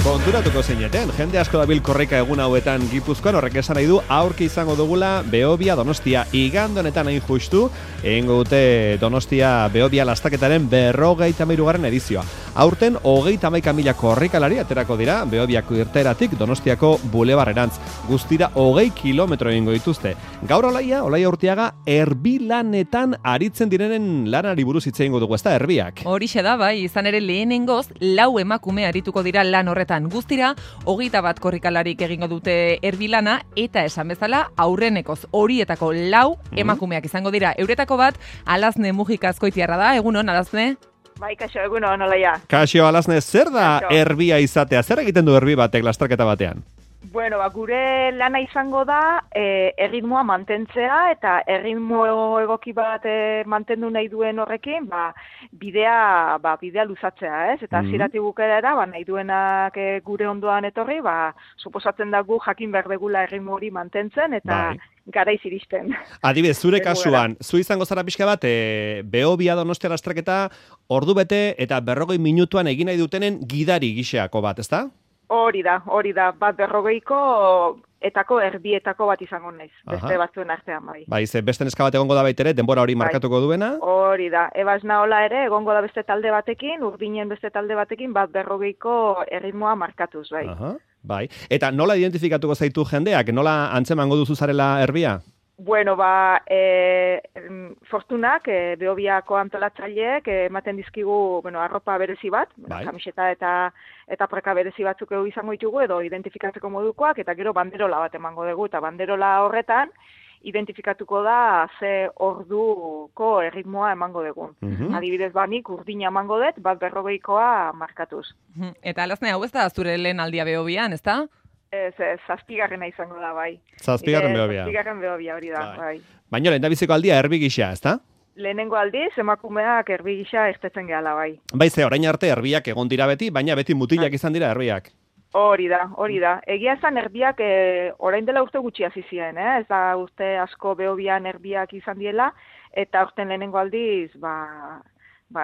Konturatuko zeineten, jende asko dabil korrika egun hauetan Gipuzkoan, horrek esan nahi du aurki izango dugula Behobia Donostia. Igande honetan hain justu, egingo dute Donostia Behobia lastaketaren 53. edizioa. Aurten 31.000 korrikalari aterako dira Behobiako irteeratik Donostiako bulebarrerantz. Guztira 20 kilometro egingo dituzte. Gaur Olaia Urtiaga erbilanetan aritzen direnen lanari buruz hitz egingo dugu, ezta erbiak. Horixe da, bai, izan ere lehenengoz 4 emakume arituko dira lan horretan. Guztira 21 korrikalarik egingo dute erbilana eta esan bezala aurrenekoz horietako 4 emakumeak izango dira. Euretako bat Alazne Mujika Azkoitiarra da. Egunon, Alazne? Bai, kaixo, egunon, Olaia. Kaixo, Alazne, zer da erbia izatea? Zer egiten du erbi batek lasterketa batean? Bueno, gure lana izango da erritmoa mantentzea eta erritmo egoki bat mantendu nahi duen horrekin, bidea luzatzea, ez? Eta hasieratik bukaerara, nahi duenak gure ondoan etorri, suposatzen da gu jakin behar degula erritmo hori mantentzen eta garaiz iristen. Adibidez, zure kasuan, zu izango zara pixka bat, Behobia Donostia lasterketa ordu bete eta 40 minutuan egin nahi dutenen gidari gixeako bat, ezta? Hori da, 150 etako erbietako bat izango naiz, beste batzuen artean, bai. Bai, beste neska bat egongo da baitere, denbora hori markatuko duena? Hori da, Ebas Naola ere, egongo da beste talde batekin, Urdinen beste talde batekin, 150 erritmoa markatuz, bai. Bai, eta nola identifikatuko zaitu jendeak, nola antzemango duzu zarela erbia? Bueno, fortunak, Behobiako antolatzaileek ematen dizkigu, arropa berezi bat, kamiseta eta praka berezi batzuk izango ditugu, edo identifikatzeko modukoak, eta gero banderola bat emango dugu, eta banderola horretan identifikatuko da ze orduko erritmoa emango dugu. Adibidez, nik Urdina emango dut, 150 markatuz. Eta Alazne, hau ez da zure lehen aldia Behobian, ez da? Ez, 7. izango da, bai. 7. Behobia. 7. Behobia hori da, bai. Baina lehendabiziko aldia erbi gisa, ez da? Lehenengo aldiz, emakumeak erbi gisa irtetzen gehala, bai. Bai, ze orain arte erbiak egon dira beti, baina beti mutilak izan dira erbiak. Hori da. Egia esan erbiak orain dela urte gutxi hasi ziren, ez da urte asko Behobian erbiak izan diela, eta urten lehenengo aldiz,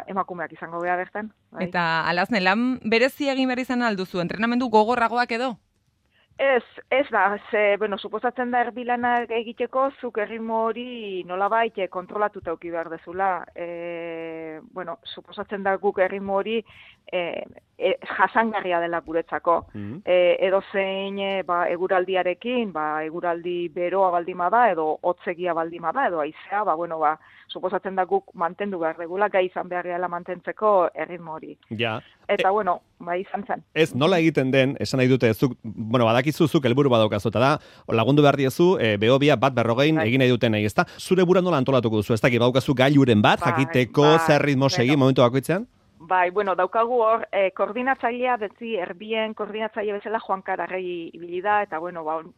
emakumeak izango beha bertan. Bai. Eta Alazne, lan berezi egin behar izan alduzu, entrenamendu gogorragoak edo? Ez da, suposatzen da erbilanak egiteko, zuk erritmo hori nolabait kontrolatuta eduki behar dezula. Suposatzen da guk erritmo hori jasangarria dela guretzako. Edo zein eguraldiarekin, eguraldi beroa baldima da, edo hotzegia baldima da, edo haizea, suposatzen da guk mantendu behar degula, gai izan behar dela mantentzeko erritmo hori. Ja. Eta, izan zen. Ez, nola egiten den, esan nahi dute, badakizuzuk helburu badaukazu, eta da, lagundu behar diezu, Behobia 150 egin nahi duten ezta? Zure bura nola antolatuko duzu, ez da, badaukazu gailuren bat, jakiteko zer ritmo segi momentu bakoitzean? Bai, daukagu hor, koordinatzailea beti erbien koordinatzaile bezala Juan Kararregi ibili da, eta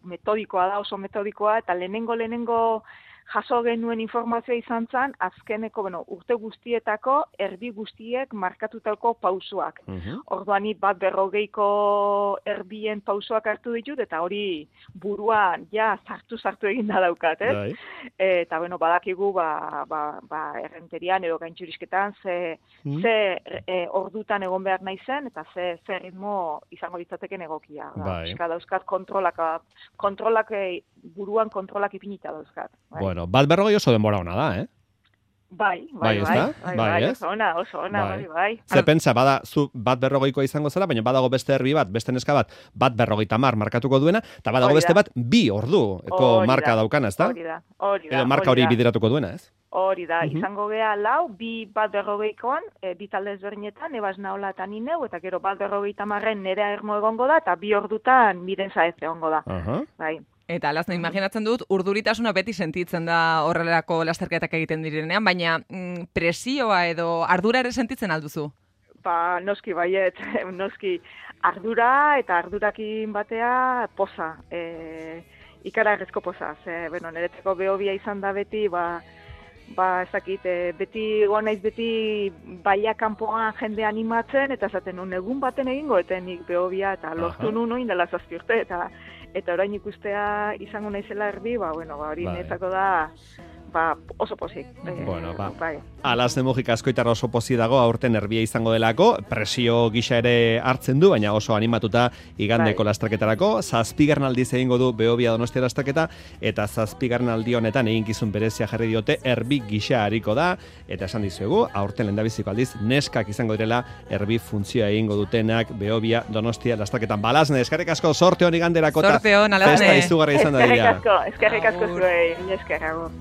metodikoa da, oso metodikoa, eta lehenengo jaso genuen informazioa izan zen, azkeneko, urte guztietako, erbi guztiek markatutako pausoak. Orduan, 150 erbien pausoak hartu ditut, eta hori buruan, sartu egin da daukat, ez? Eta, badakigu, errenterian edo gaintxurisketan, ze ordutan egon behar nahi zen, eta ze ritmo izango ditzateken egokia. Dauzkat kontrolak, buruan kontrolak ipinita dauzkat. Bueno, 150 oso denbora ona da, eh? Bai, oso ona, bai. Ze pentsa, bada, zu 150 izango zara, baina badago beste erbi bat, beste neska bat, 150 markatuko duena, eta badago beste bat, 2 orduko marka daukana, ez da? Hori da. Edo marka hori bideratuko duena, ez? Hori da, izango geha 4, 150koan, bi talde ezberdinetan, Ebas Naola eta ni neu, eta gero 150 nerea ermo egongo da, eta 2 ordutan miren zaez egongo da. Bai. Eta Alazne, imaginatzen dut, urduritasuna beti sentitzen da horrelako lasterketak egiten direnean, baina presioa edo ardura ere sentitzen alduzu? Noski baiet, ardura eta ardurakin batea poza, ikaragarrizko poza. Niretzako Behobia izan da beti, ezakit, beti naiz beti baila kanpoan jende animatzen, eta esaten egun baten egingo, eta nik Behobia, eta lortu nuen dela 7 urte, eta orain ikustea izango naizela erbi, hori netzako da oso pozik. Bueno, bai. Alasne Mujika askoitar oso pozi dago aurten erbia izango delako, presio gisa ere hartzen du, baina oso animatuta igandeko lasterketarako. 7. aldiz egingo du Behobia Donostia lasterketa, eta 7. aldi honetan eginkizun berezia jarri diote erbi gisa hariko da, eta esan dizuegu, aurten lehendabiziko aldiz neskak izango direla erbi funtzioa egingo dutenak Behobia Donostia lasterketan. Alasne, eskerrik asko, sorte hon iganderako, sorte hon, Alasne. Festa izugarri izan da dira. Eskerrik asko zuei, esker agur.